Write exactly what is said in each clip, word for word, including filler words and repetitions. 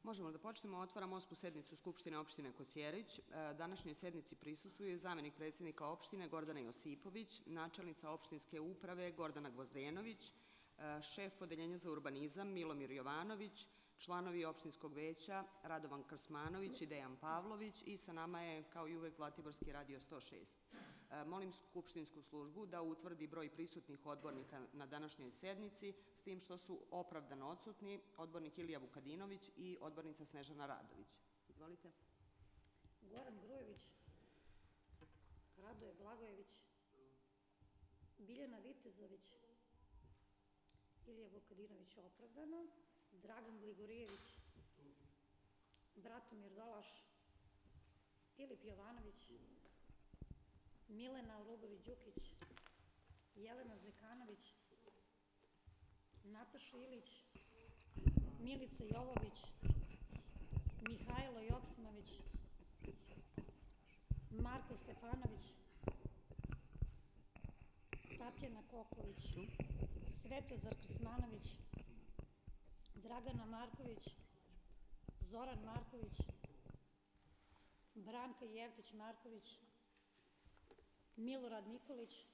Možemo da počnemo. Otvaram osmu sednicu Skupštine opštine Kosjerić. Današnjoj sednici prisustvuje zamenik predsjednika opštine Gordana Josipović, načelnica opštinske uprave Gordana Gvozdenović, šef odeljenja za urbanizam Milomir Jovanović, članovi opštinskog veća Radovan Krsmanović i Dejan Pavlović i sa nama je kao i uvek Zlatiborski radio sto šest. Molim skupštinsku službu da utvrdi broj prisutnih odbornika na današnjoj sednici, s tim što su opravdano odsutni odbornik Ilija Vukadinović i odbornica Snežana Radović. Izvolite. Goran Grujević, Radoje Blagojević, Biljana Vitezović, Ilija Vukadinović opravdano, Dragan Gligorijević, Bratomir Dolaš, Filip Jovanović, Milena Orubović-Đukić, Jelena Zekanović, Nataša Ilić, Milica Jovović, Mihajlo Joksimović, Marko Stefanović, Tatjana Koković, Svetozar Krsmanović, Dragana Marković, Zoran Marković, Branka Jevtić-Marković, Milorad Nikolić,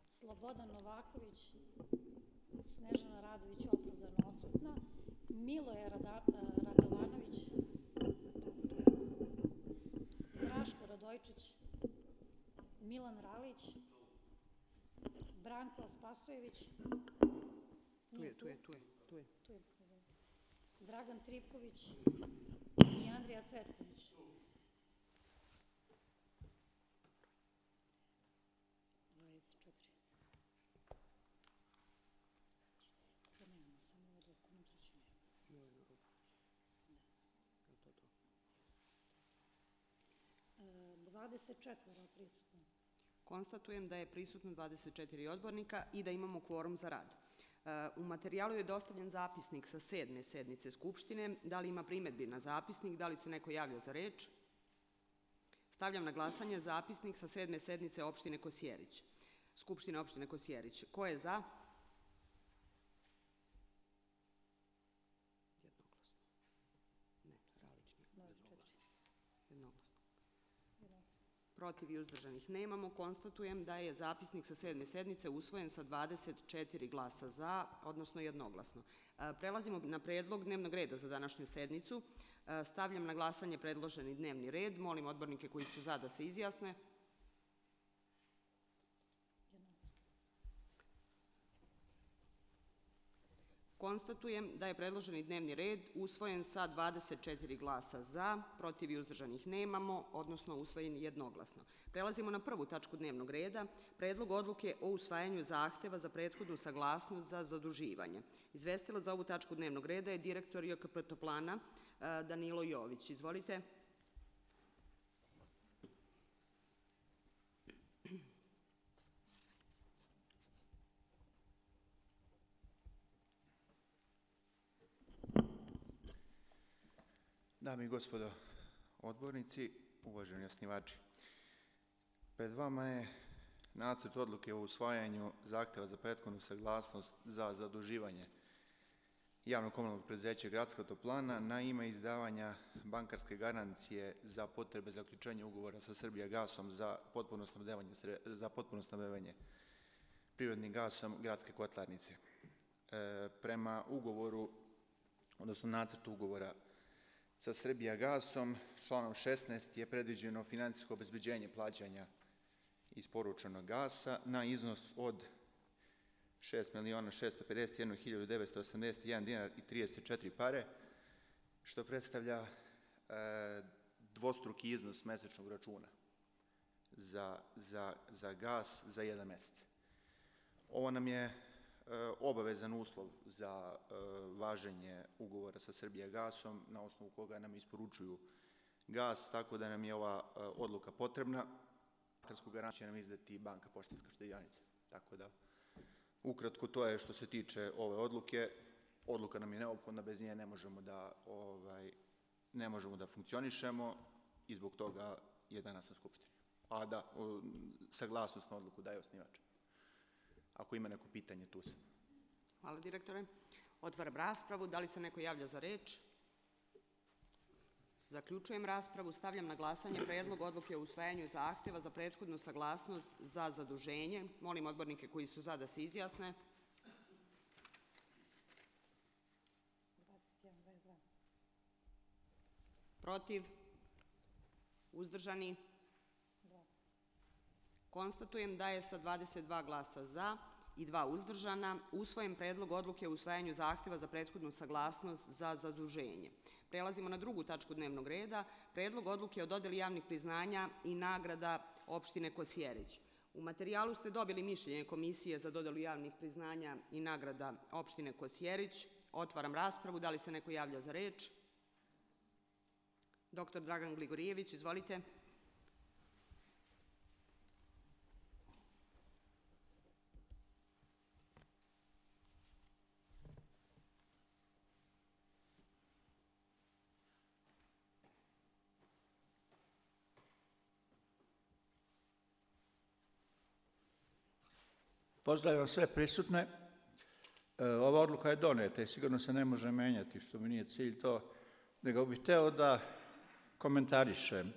Slobodan Novaković, Snežana Radović opravdano odsutna, Miloje Radovanović, Draško Radojčić, Milan Ralić, Branko Spasojević, Tu je, tu je, tu je, tu je. tu je Dragan Tripković i Andrija Cvetković. dvadeset četiri. To nemamo, samo ovo dok unutraći nemamo. dvadeset četiri prisutno. Konstatujem da je prisutno dvadeset četiri odbornika i da imamo kvorum za rad. U materijalu je dostavljen zapisnik sa sedme sednice Skupštine. Da li ima primedbi na zapisnik? Da li se neko javlja za reč? Stavljam na glasanje zapisnik sa sedme sednice opštine Kosjerić. Skupštine opštine Kosjerić. Ko je za? Jednoglasno. Ne, Ralić nije. Jednoglasno. Protiv i uzdržanih nemamo. Konstatujem da je zapisnik sa sedme sednice usvojen sa dvadeset četiri glasa za, odnosno jednoglasno. Prelazimo na predlog dnevnog reda za današnju sednicu. Stavljam na glasanje predloženi dnevni red. Molim odbornike koji su za da se izjasne. Konstatujem da je predloženi dnevni red usvojen sa dvadeset četiri glasa za, protiv i uzdržanih nemamo, odnosno usvojen jednoglasno. Prelazimo na prvu tačku dnevnog reda, predlog odluke o usvajanju zahteva za prethodnu saglasnost za zaduživanje. Izvestilac za ovu tačku dnevnog reda je direktor J K P Toplana Danilo Jović. Izvolite. Dame i gospodo odbornici, uvaženi osnivači, pred vama je nacrt odluke o usvajanju zahteva za prethodnu saglasnost za zaduživanje javnog komunalnog preduzeća Gradska toplana na ime izdavanja bankarske garancije za potrebe zaključenja ugovora sa Srbijagasom za potpuno snabdevanje, za potpuno snabdevanje prirodnim gasom Gradske kotlarnice. E, prema ugovoru, odnosno nacrtu ugovora sa Srbijagasom, članom šesnaest je predviđeno finansijsko obezbeđenje plaćanja isporučenog gasa na iznos od šest miliona šesto pedeset jednu hiljadu devetsto osamdeset jedan dinar i trideset četiri pare, što predstavlja e, dvostruki iznos mesečnog računa za, za, za gas za jedan mesec. Ovo nam je e, obavezan uslov za e, važenje ugovora sa Srbijagasom, na osnovu koga nam isporučuju gas, tako da nam je ova e, odluka potrebna. Bankarsku garanciju će nam izdati Banka Poštanska štedionica. Tako da, ukratko, to je što se tiče ove odluke. Odluka nam je neophodna, bez nje ne možemo da, ovaj, ne možemo da funkcionišemo i zbog toga je danas na Skupštini. A da, o, saglasnost na odluku daje osnivač. Ako ima neko pitanje, tu sam. Hvala, direktore. Otvaram raspravu. Da li se neko javlja za reč? Zaključujem raspravu. Stavljam na glasanje Predlog odluke o usvajanju zahteva za prethodnu saglasnost za zaduženje. Molim odbornike koji su za da se izjasne. Protiv? Uzdržani? Konstatujem da je sa dvadeset dva glasa za i dva uzdržana usvojen Predlog odluke o usvajanju zahteva za prethodnu saglasnost za zaduženje. Prelazimo na drugu tačku dnevnog reda, Predlog odluke o dodeli javnih priznanja i nagrada opštine Kosjerić. U materijalu ste dobili mišljenje Komisije za dodelu javnih priznanja i nagrada opštine Kosjerić. Otvaram raspravu. Da li se neko javlja za reč? Doktor Dragan Gligorijević, izvolite. Pozdravljam sve prisutne. Ova odluka je doneta i sigurno se ne može menjati, što mi nije cilj to, nego bih hteo da komentarišem.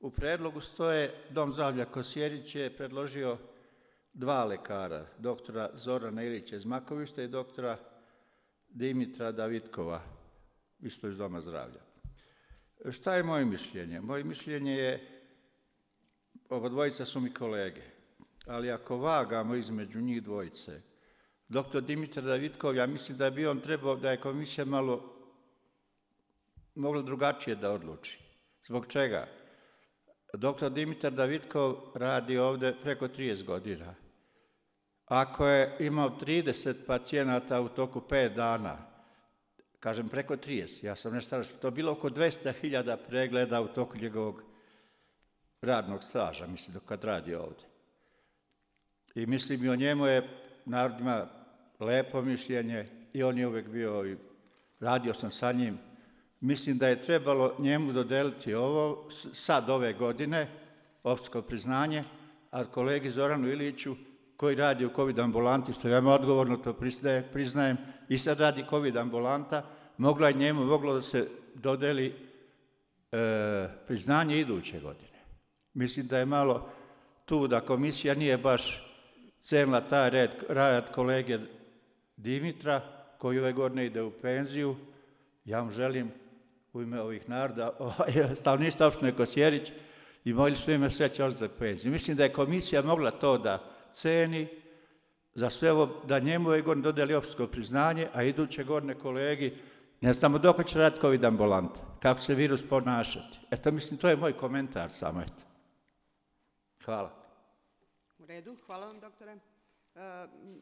U predlogu stoje Dom zdravlja Kosjerić je predložio dva lekara, doktora Zorana Ilića iz Makovišta i doktora Dimitra Davitkova, isto iz Doma zdravlja. Šta je moje mišljenje? Moje mišljenje je, oba dvojica su mi kolege, ali ako vagamo između njih dvojice, doktor Dimitar Davitkov, ja mislim da bi on trebao, da je komisija malo mogla drugačije da odluči. Zbog čega? Doktor Dimitar Davitkov radi ovde preko trideset godina. Ako je imao trideset pacijenata u toku pet dana, kažem preko trideset, ja sam nešto rašao, to je bilo oko dvesta hiljada pregleda u toku njegovog radnog staža, mislim, dok kad radi ovde. I mislim i o njemu je, narod ima lepo mišljenje i on je uvek bio, i radio sam sa njim. Mislim da je trebalo njemu dodeliti ovo, sad ove godine, opštinsko priznanje, a kolegi Zoranu Iliću, koji radi u COVID ambulanti, što ja odgovorno to priznajem, i sad radi COVID ambulanta, mogla je njemu, moglo da se dodeli e, priznanje iduće godine. Mislim da je malo tu da komisija nije baš cenila taj red, rad kolege Dimitra, koji ove godine ide u penziju. Ja vam želim u ime ovih naroda, stanovništva opštine Kosjerić, i molili su ime sreće on za penziju. Mislim da je komisija mogla to da ceni za sve ovo, da njemu ove godine dodeli opštinsko priznanje, a iduće godine kolegi, ne znamo dok će raditi COVID ambulanta, kako se virus ponašati. Eto, mislim, to je moj komentar samo, eto. Hvala. U redu, hvala vam, doktore.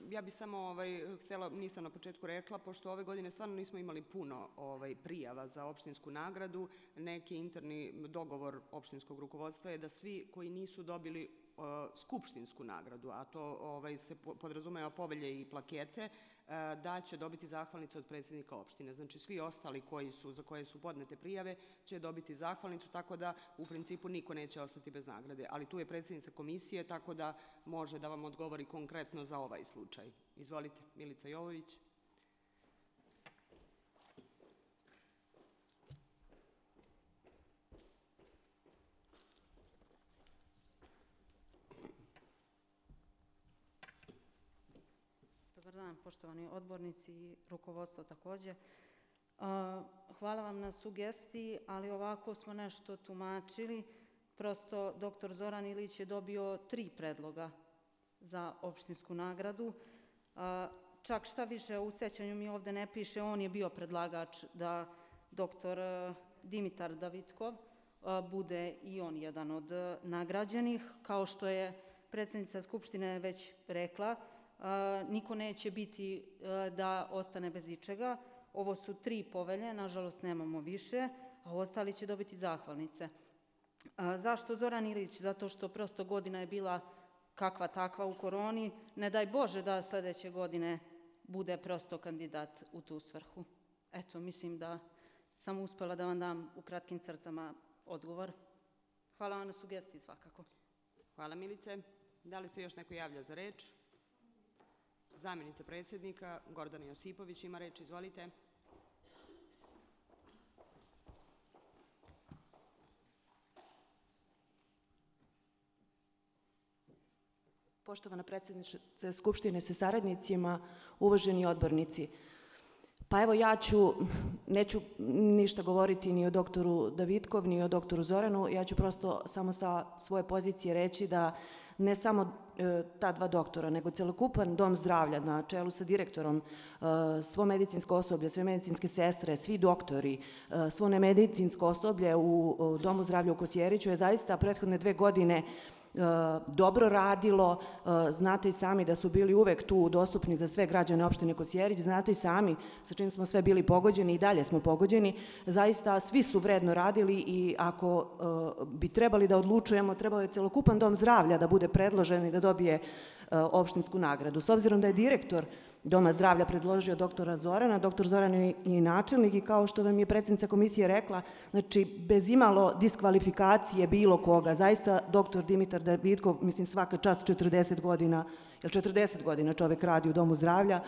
Ja bih samo ovaj, htjela, nisam na početku rekla, pošto ove godine stvarno nismo imali puno ovaj, prijava za opštinsku nagradu, neki interni dogovor opštinskog rukovodstva je da svi koji nisu dobili uh, skupštinsku nagradu, a to ovaj, se podrazumeva povelje i plakete, uh, da će dobiti zahvalnicu od predsjednika opštine. Znači svi ostali koji su, za koje su podnete prijave će dobiti zahvalnicu, tako da u principu niko neće ostati bez nagrade. Ali tu je predsjednica komisije, tako da može da vam odgovori konkretno za ovaj slučaj. Izvolite, Milica Jovović. Dobar dan, poštovani odbornici i rukovodstvo takođe. Hvala vam na sugestiji, ali ovako smo nešto tumačili. Prosto doktor Zoran Ilić je dobio tri predloga za opštinsku nagradu. Čak šta više, u sećanju mi ovde ne piše, on je bio predlagač da doktor Dimitar Davitkov bude i on jedan od nagrađenih. Kao što je predsjednica Skupštine već rekla, niko neće biti da ostane bez ičega. Ovo su tri povelje, nažalost nemamo više, a ostali će dobiti zahvalnice. Zašto Zoran Ilić? Zato što prosto godina je bila kakva takva u koroni. Ne daj Bože da sledeće godine bude prosto kandidat u tu svrhu. Eto, mislim da sam uspela da vam dam u kratkim crtama odgovor. Hvala vam na sugestiji svakako. Hvala, Milice. Da li se još neko javlja za reč? Zamjenica predsjednika Gordana Josipović ima reč, izvolite. Poštovana predsjednice Skupštine sa saradnicima, uvaženi odbornici. Pa evo ja ću, neću ništa govoriti ni o doktoru Davidkov, ni o doktoru Zoranu, ja ću prosto samo sa svoje pozicije reći da ne samo e, ta dva doktora, nego celokupan dom zdravlja na čelu sa direktorom, e, svo medicinsko osoblje, sve medicinske sestre, svi doktori, e, svo nemedicinsko osoblje u, u domu zdravlja u Kosjeriću je zaista prethodne dve godine dobro radilo. Znate i sami da su bili uvek tu dostupni za sve građane opštine Kosjerić, znate i sami sa čim smo sve bili pogođeni i dalje smo pogođeni. Zaista svi su vredno radili i ako bi trebali da odlučujemo, trebao je celokupan dom zdravlja da bude predložen i da dobije opštinsku nagradu. S obzirom da je direktor Doma zdravlja predložio doktora Zorana, doktor Zoran je i načelnik i kao što vam je predsjednica komisije rekla, znači bez imalo diskvalifikacije bilo koga, zaista doktor Dimitar Davidkov, mislim svaka čast četrdeset godina, jer četrdeset godina čovek radi u Domu zdravlja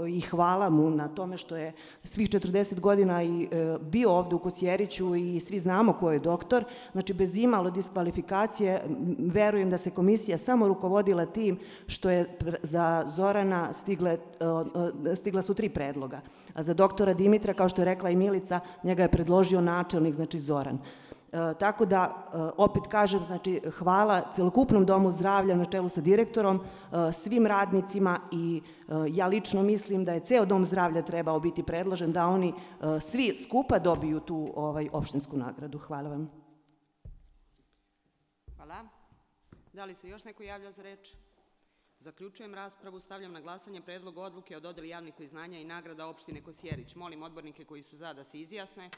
i hvala mu na tome što je svih četrdeset godina i bio ovde u Kosjeriću i svi znamo ko je doktor, znači bez imalo diskvalifikacije, verujem da se komisija samo rukovodila tim što je za Zorana stigle, stigla su tri predloga, a za doktora Dimitra, kao što je rekla i Milica, njega je predložio načelnik, znači Zoran. E, tako da, e, opet kažem, znači, hvala celokupnom domu zdravlja na čelu sa direktorom, e, svim radnicima i e, ja lično mislim da je ceo dom zdravlja trebao biti predložen, da oni e, svi skupa dobiju tu ovaj, opštinsku nagradu. Hvala vam. Hvala. Da li se još neko javlja za reč? Zaključujem raspravu. Stavljam na glasanje predlog odluke o dodeli javnih priznanja i nagrada opštine Kosjerić. Molim odbornike koji su za da se izjasne.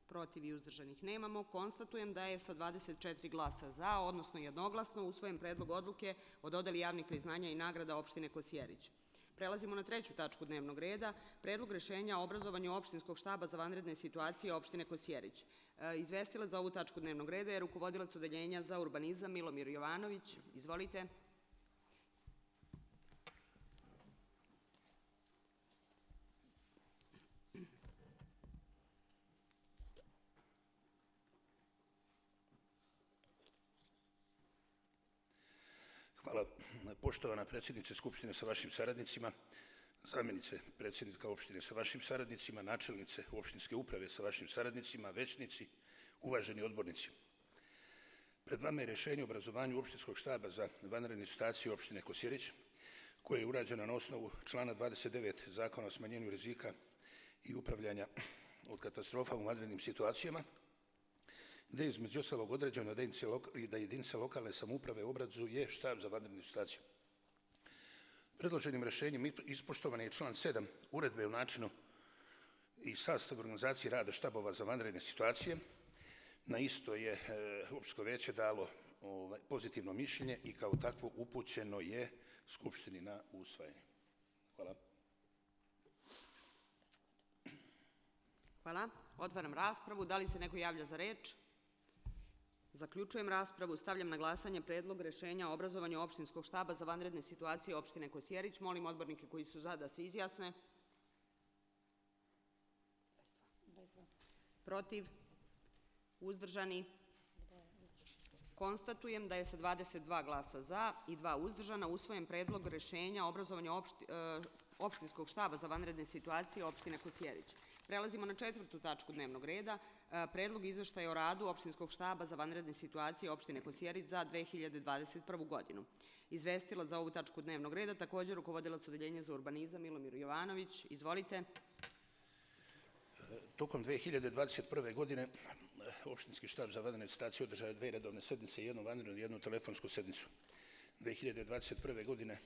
Protiv i uzdržanih nemamo. Konstatujem da je sa dvadeset četiri glasa za, odnosno jednoglasno, usvojen predlog odluke o dodeli javnih priznanja i nagrada opštine Kosjerić. Prelazimo na treću tačku dnevnog reda, predlog rešenja o obrazovanju opštinskog štaba za vanredne situacije opštine Kosjerić. E, izvestilac za ovu tačku dnevnog reda je rukovodilac odeljenja za urbanizam Milomir Jovanović. Izvolite. Hvala. Poštovana predsjednice Skupštine sa vašim saradnicima, zamjenice predsjednika opštine sa vašim saradnicima, načelnice opštinske uprave sa vašim saradnicima, većnici, uvaženi odbornici. Pred vama je rješenje o obrazovanju opštinskog štaba za vanredne situacije opštine Kosjerić, koje je urađeno na osnovu člana dvadeset devet Zakona o smanjenju rizika i upravljanja od katastrofa u vanrednim situacijama, gde je između ostalog određeno da jedinice lokalne samouprave obrazuje štab za vanredne situacije. Predloženim rešenjem ispoštovan je član sedam Uredbe o načinu i sastavu organizacije rada štabova za vanredne situacije. Na isto je opštinsko veće dalo pozitivno mišljenje i kao takvo upućeno je Skupštini na usvajanje. Hvala. Hvala. Otvaram raspravu. Da li se neko javlja za reč? Zaključujem raspravu. Stavljam na glasanje predlog rešenja o obrazovanju opštinskog štaba za vanredne situacije opštine Kosjerić. Molim odbornike koji su za da se izjasne. Protiv? Uzdržani? Konstatujem da je sa dvadeset dva glasa za i dva uzdržana usvojen predlog rešenja o obrazovanju opšti, e, opštinskog štaba za vanredne situacije opštine Kosjerić. Prelazimo na četvrtu tačku dnevnog reda, e, predlog izveštaja o radu opštinskog štaba za vanredne situacije opštine Kosjerić za dve hiljade dvadeset prvu godinu. Izvestilac za ovu tačku dnevnog reda, također rukovodilac odeljenja za urbanizam Milomir Jovanović. Izvolite. Tokom dve hiljade dvadeset prve godine opštinski štab za vanredne situacije održao je dve redovne sednice, jednu vanrednu i jednu telefonsku sednicu. dve hiljade dvadeset prve godine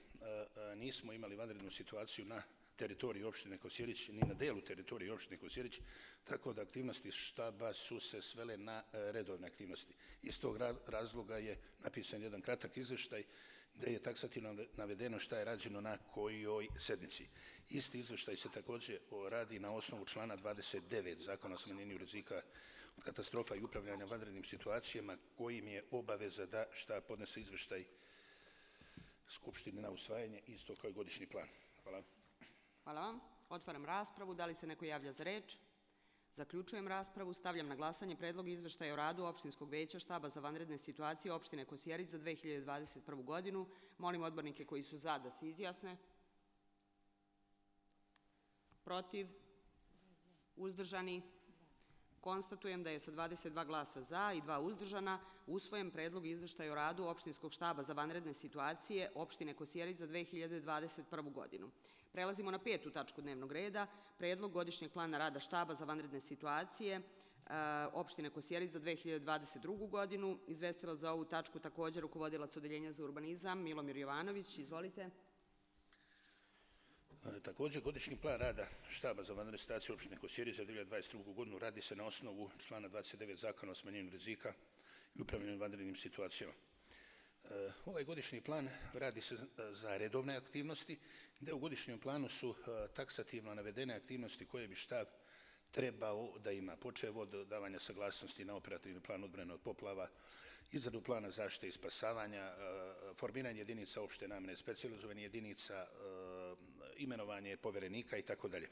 nismo imali vanrednu situaciju na teritoriji opštine Kosjerić, ni na delu teritorije opštine Kosjerić, tako da aktivnosti štaba su se svele na redovne aktivnosti. Iz tog razloga je napisan jedan kratak izveštaj gde je taksativno navedeno šta je rađeno na kojoj sednici. Isti izveštaj se također radi na osnovu člana dvadeset devet Zakona o smanjenju rizika katastrofa i upravljanja vanrednim situacijama, kojim je obaveza da štab podnese izveštaj Skupštini na usvajanje, isto kao i godišnji plan. Hvala. Hvala vam. Otvaram raspravu. Da li se neko javlja za reč? Zaključujem raspravu. Stavljam na glasanje Predlog izveštaja o radu Opštinskog veća štaba za vanredne situacije opštine Kosjerić za dve hiljade dvadeset prvu godinu. Molim odbornike koji su za da se izjasne. Protiv? Uzdržani? Konstatujem da je sa dvadeset dva glasa za i dva uzdržana usvojen Predlog izveštaja o radu Opštinskog štaba za vanredne situacije opštine Kosjerić za dve hiljade dvadeset prvu godinu. Prelazimo na petu tačku dnevnog reda, Predlog godišnjeg plana rada štaba za vanredne situacije opštine Kosjerić za dve hiljade dvadeset drugu godinu. Izvestilac za ovu tačku također rukovodilac Odeljenja za urbanizam Milomir Jovanović. Izvolite. Također, godišnji plan rada štaba za vanredne situacije opštine Kosjerić za dve hiljade dvadeset drugu godinu radi se na osnovu člana dvadeset devet Zakona o smanjenju rizika i upravljanju vanrednim situacijama. Ovaj godišnji plan radi se za redovne aktivnosti, gde u godišnjem planu su taksativno navedene aktivnosti koje bi štab trebao da ima, počev od davanja saglasnosti na operativni plan odbrane od poplava, izradu plana zaštite i spasavanja, formiranje jedinica opšte namene, specijalizovanje jedinica, imenovanje poverenika i tako dalje.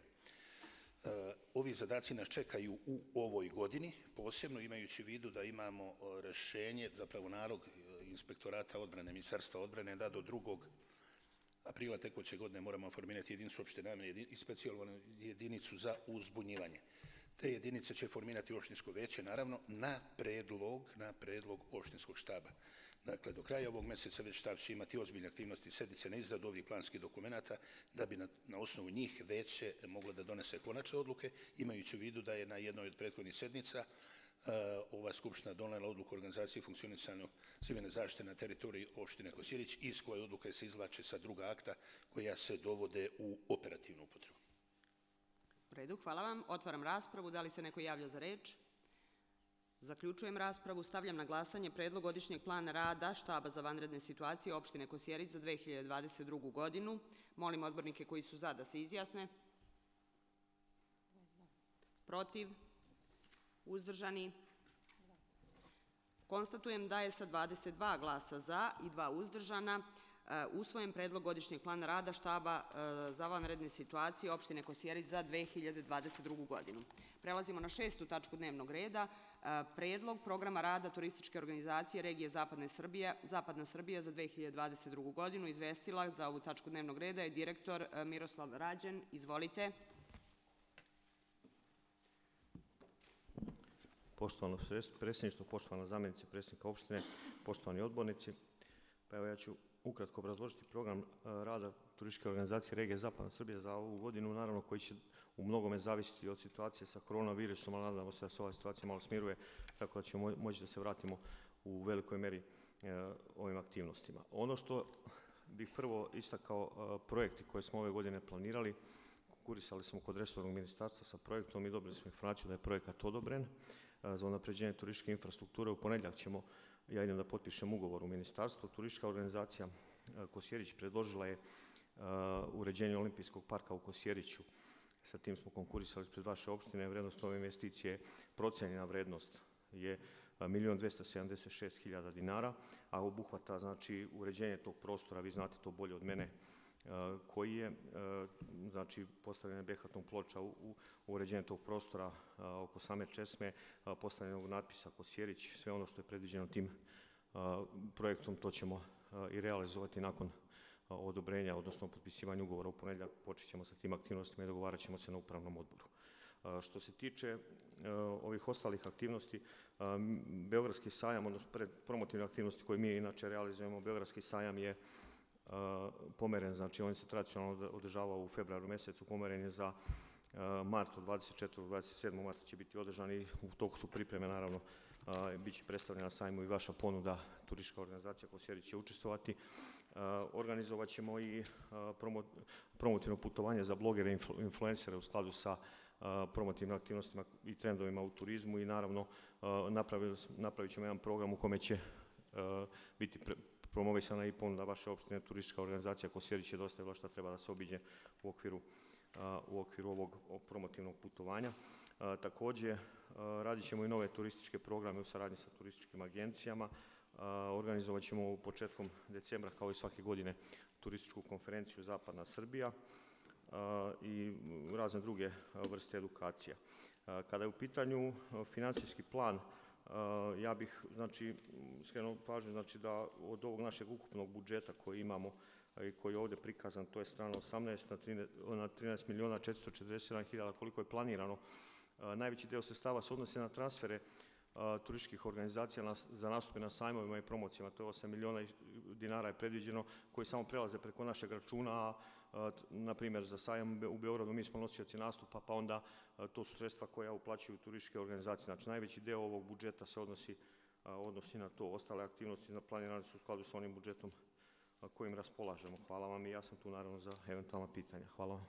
Ovi zadaci nas čekaju u ovoj godini, posebno imajući u vidu da imamo rešenje, zapravo nalog Inspektorata odbrane, Ministarstva odbrane, da do drugog aprila tekuće godine moramo formirati jedinicu opšte namene i specijalnu jedinicu za uzbunjivanje. Te jedinice će formirati opštinsko veće, naravno, na predlog, na predlog opštinskog štaba. Dakle, do kraja ovog meseca već štab će imati ozbiljne aktivnosti, sednice na izradu ovih planskih dokumenata, da bi na, na osnovu njih veće moglo da donese konačne odluke, imajući u vidu da je na jednoj od prethodnih sednica uh, ova Skupština donela odluku o organizaciji i funkcionisanju civilne zaštite na teritoriji opštine Kosjerić, iz koje odluke se izvlače sa druga akta koja se dovode u operativnu upotrebu. U redu, hvala vam. Otvaram raspravu. Da li se neko javlja za reč? Zaključujem raspravu. Stavljam na glasanje Predlog godišnjeg plana rada štaba za vanredne situacije opštine Kosjerić za dve hiljade dvadeset drugu godinu. Molim odbornike koji su za da se izjasne. Protiv? Uzdržani? Konstatujem da je sa dvadeset dva glasa za i dva uzdržana usvojen Predlog godišnjeg plana rada štaba za vanredne situacije opštine Kosjerić za dve hiljade dvadeset drugu godinu. Prelazimo na šestu tačku dnevnog reda, Predlog programa rada turističke organizacije regije Zapadne Srbije, Zapadna Srbija za dve hiljade dvadeset drugu godinu. Izvestilac za ovu tačku dnevnog reda je direktor Miroslav Rađen. Izvolite. Poštovano predsjedništvo, poštovana zamjenica predsjednika opštine, poštovani odbornici, pa evo ja ću ukratko obrazložiti program rada turističke organizacije regije Zapadna Srbija za ovu godinu, naravno koji će u mnogome zavisiti od situacije sa koronavirusom, ali nadamo se da se ova situacija malo smiruje, tako da ćemo moći da se vratimo u velikoj meri ovim aktivnostima. Ono što bih prvo istakao, projekti koje smo ove godine planirali, konkurisali smo kod resornog ministarstva sa projektom i dobili smo informaciju da je projekat odobren za unapređenje turističke infrastrukture. U ponedjeljak ćemo, ja idem da potpišem ugovor u ministarstvu. Turistička organizacija Kosjerić predložila je uređenje olimpijskog parka u Kosjeriću. Sa tim smo konkurisali pred vaše opštine. Vrednost ove investicije, procenjena vrednost je milion dvesta sedamdeset šest hiljada dinara, a obuhvata znači uređenje tog prostora, vi znate to bolje od mene, koji je, znači, postavljena behatnom ploča u, u uređenje tog prostora oko same česme, postavljenog natpisa Kosjerić, sve ono što je predviđeno tim projektom, to ćemo i realizovati nakon odobrenja, odnosno potpisivanja ugovora. U ponedjeljak počet ćemo sa tim aktivnostima i dogovarat ćemo se na upravnom odboru. Što se tiče ovih ostalih aktivnosti, Beogradski sajam, odnosno promotivne aktivnosti koje mi inače realizujemo, Beogradski sajam je pomeren, znači on se tradicionalno održavao u februaru mjesecu, pomeren je za mart, od dvadeset četvrtog do dvadeset sedmog marta će biti održan i u toku su pripreme, naravno, bit će predstavljena na sajmu i vaša ponuda, turistička organizacija Kosjerić će učestvovati. Organizovat ćemo i promotivno putovanje za blogere i influencere u skladu sa promotivnim aktivnostima i trendovima u turizmu i naravno napravit ćemo jedan program u kome će biti promovisana i ponuda vaše opštine. Turistička organizacija Kosjerić je dostavila šta treba da se obiđe u okviru, u okviru ovog promotivnog putovanja. Takođe, radit ćemo i nove turističke programe u saradnji sa turističkim agencijama. Organizovat ćemo početkom decembra, kao i svake godine, turističku konferenciju Zapadna Srbija i razne druge vrste edukacija. Kada je u pitanju financijski plan, ja bih znači, skrenuo pažnju znači, da od ovog našeg ukupnog budžeta koji imamo i koji je ovdje prikazan, to je strana osamnaest na trinaest miliona četiristo četrdeset sedam hiljada koliko je planirano. Najveći deo sredstava se odnosi na transfere turističkih organizacija za nastupe na sajmovima i promocijama, to je osam miliona dinara je predviđeno, koji samo prelaze preko našeg računa, a na primjer za sajam u Beogradu mi smo nosioci nastupa, pa onda to su sredstva koja uplaćuju turističke organizacije. Znači najveći deo ovog budžeta se odnosi, odnosi na to. Ostale aktivnosti planirane su u skladu sa onim budžetom kojim raspolažemo. Hvala vam i ja sam tu naravno za eventualna pitanja. Hvala vam.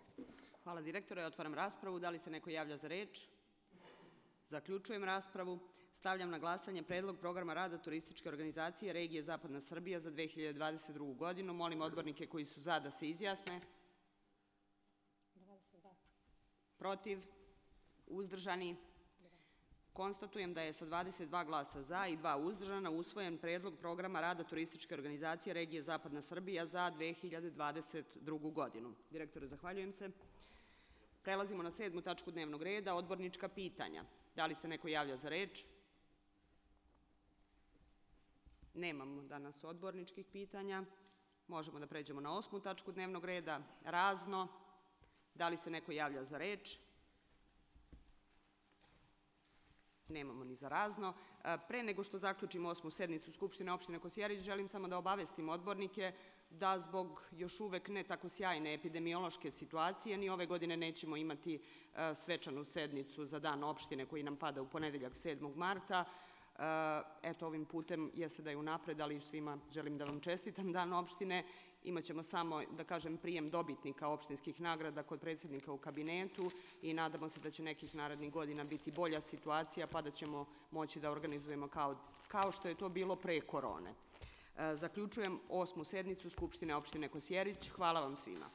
Hvala direktore. Otvaram raspravu. Da li se neko javlja za reč? Zaključujem raspravu. Stavljam na glasanje Predlog programa rada turističke organizacije regije Zapadna Srbija za dve hiljade dvadeset drugu. godinu. Molim odbornike koji su za da se izjasne. Protiv? Uzdržani? Konstatujem da je sa dvadeset dva glasa za i dva uzdržana usvojen Predlog programa rada turističke organizacije regije Zapadna Srbija za dve hiljade dvadeset drugu. godinu. Direktore, zahvaljujem se. Prelazimo na sedmu tačku dnevnog reda, odbornička pitanja. Da li se neko javlja za reč? Nemamo danas odborničkih pitanja. Možemo da pređemo na osmu tačku dnevnog reda, razno. Da li se neko javlja za reč? Nemamo ni za razno. Pre nego što zaključimo osmu sednicu Skupštine opštine Kosjerić, želim samo da obavestim odbornike da zbog još uvek ne tako sjajne epidemiološke situacije ni ove godine nećemo imati svečanu sednicu za dan opštine koji nam pada u ponedeljak sedmog marta. Eto, ovim putem jeste da je unapred, ali svima želim da vam čestitam dan opštine. Imaćemo samo, da kažem, prijem dobitnika opštinskih nagrada kod predsjednika u kabinetu i nadamo se da će nekih narednih godina biti bolja situacija pa da ćemo moći da organizujemo kao, kao što je to bilo pre korone. Zaključujem osmu sednicu Skupštine opštine Kosjerić. Hvala vam svima.